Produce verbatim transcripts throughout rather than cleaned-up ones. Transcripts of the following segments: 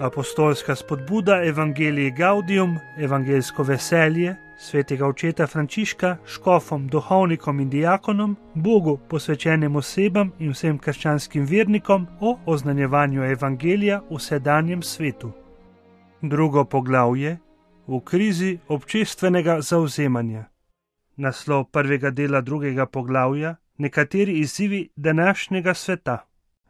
Apostolska spodbuda Evangelii Gaudium, evangeljsko veselje, svetega očeta Frančiška, škofom, duhovnikom in diakonom, Bogu posvečenim osebam in vsem krščanskim vernikom o oznanjevanju evangelija v sedanjem svetu. Drugo poglavje: v krizi občestvenega zavzemanja. Naslov prvega dela drugega poglavja: nekateri izzivi današnjega sveta.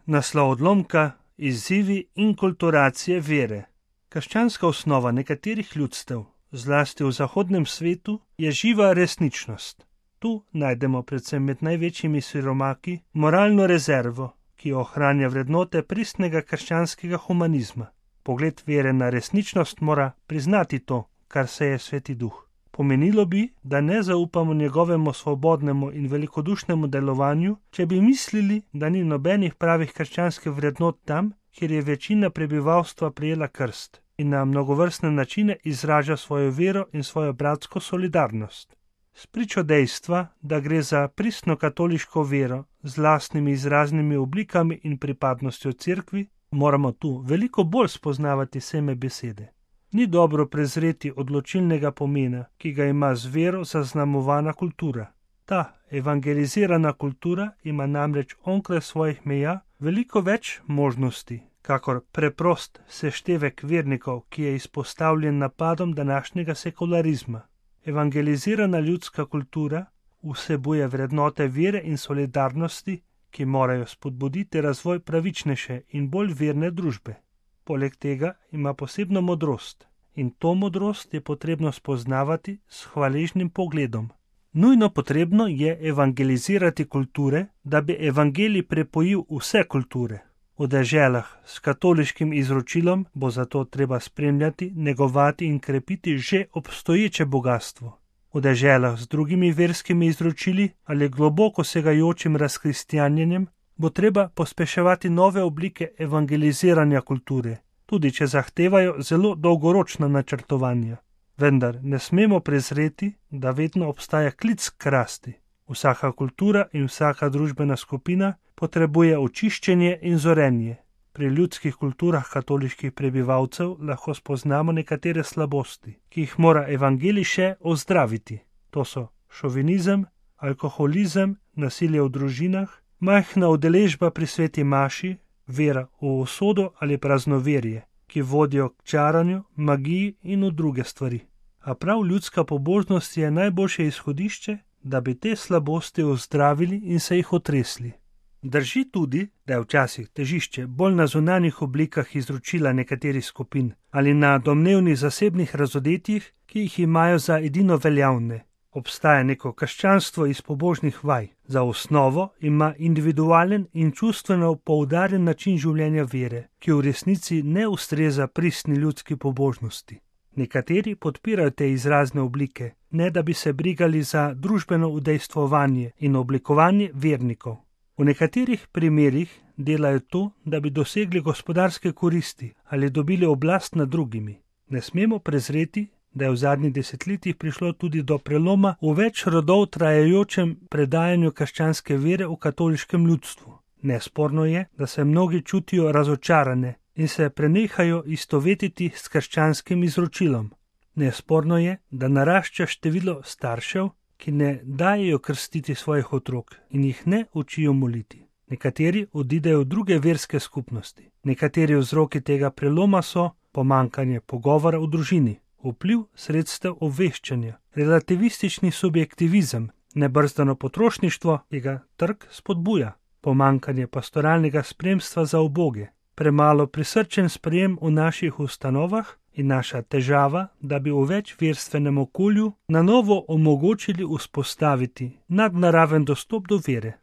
Naslov odlomka: izzivi inkulturacije vere. Krščanska osnova nekaterih ljudstev, zlasti v zahodnem svetu, je živa resničnost. Tu najdemo predvsem med največjimi siromaki moralno rezervo, ki ohranja vrednote pristnega krščanskega humanizma. Pogled vere na resničnost mora priznati to, kar se je Sveti Duh. Pomenilo bi, da ne zaupamo njegovemu svobodnemu in velikodušnemu delovanju, če bi mislili, da ni nobenih pravih krščanskih vrednot tam, kjer je večina prebivalstva prijela krst in na mnogovrstne načine izraža svojo vero in svojo bratsko solidarnost. Spričo dejstva, da gre za pristno katoliško vero z lastnimi izraznimi oblikami in pripadnostjo cerkvi, moramo tu veliko bolj spoznavati seme besede. Ni dobro prezreti odločilnega pomena, ki ga ima z vero zaznamovana kultura. Ta evangelizirana kultura ima namreč onkraj svojih meja veliko več možnosti, kakor preprost seštevek vernikov, ki je izpostavljen napadom današnjega sekularizma. Evangelizirana ljudska kultura vsebuje vrednote vere in solidarnosti, ki morajo spodbuditi razvoj pravičnejše in bolj verne družbe. Poleg tega ima posebno modrost in to modrost je potrebno spoznavati s hvaležnim pogledom. Nujno potrebno je evangelizirati kulture, da bi evangelij prepojil vse kulture. V deželah s katoliškim izročilom bo zato treba spremljati, negovati in krepiti že obstoječe bogastvo. V deželah z drugimi verskimi izročili ali globoko segajočim razkristjanjenjem bo treba pospeševati nove oblike evangeliziranja kulture, tudi če zahtevajo zelo dolgoročna načrtovanja. Vendar ne smemo prezreti, da vedno obstaja klic k rasti. Vsaka kultura in vsaka družbena skupina potrebuje očiščenje in zorenje. Pri ljudskih kulturah katoliških prebivalcev lahko spoznamo nekatere slabosti, ki jih mora evangelij še ozdraviti. To so šovinizem, alkoholizem, nasilje v družinah, majhna udeležba pri sveti maši, vera v usodo ali praznoverje, ki vodijo k čaranju, magiji in v druge stvari. A prav ljudska pobožnost je najboljše izhodišče, da bi te slabosti ozdravili in se jih otresli. Drži tudi, da je včasih težišče bolj na zunanjih oblikah izročila nekaterih skupin ali na domnevnih zasebnih razodetjih, ki jih imajo za edino veljavne. Obstaja neko krščanstvo iz pobožnih vaj. Za osnovo ima individualen in čustveno poudarjen način življenja vere, ki v resnici ne ustreza pristni ljudski pobožnosti. Nekateri podpirajo te izrazne oblike, ne da bi se brigali za družbeno udejstvovanje in oblikovanje vernikov. V nekaterih primerih delajo to, da bi dosegli gospodarske koristi ali dobili oblast nad drugimi. Ne smemo prezreti, da je v zadnjih desetletjih prišlo tudi do preloma v več rodov trajajočem predajanju krščanske vere v katoliškem ljudstvu. Nesporno je, da se mnogi čutijo razočarane in se prenehajo istovetiti s krščanskim izročilom. Nesporno je, da narašča število staršev, ki ne dajejo krstiti svojih otrok in jih ne učijo moliti. Nekateri odidejo v druge verske skupnosti. Nekateri vzroki tega preloma so pomanjkanje pogovora v družini, vpliv sredstev obveščanja, relativistični subjektivizem, nebrzdano potrošništvo, ki ga trg spodbuja, pomanjkanje pastoralnega spremstva za uboge, premalo prisrčen sprejem v naših ustanovah in naša težava, da bi v večverstvenem okolju na novo omogočili vzpostaviti nadnaraven dostop do vere.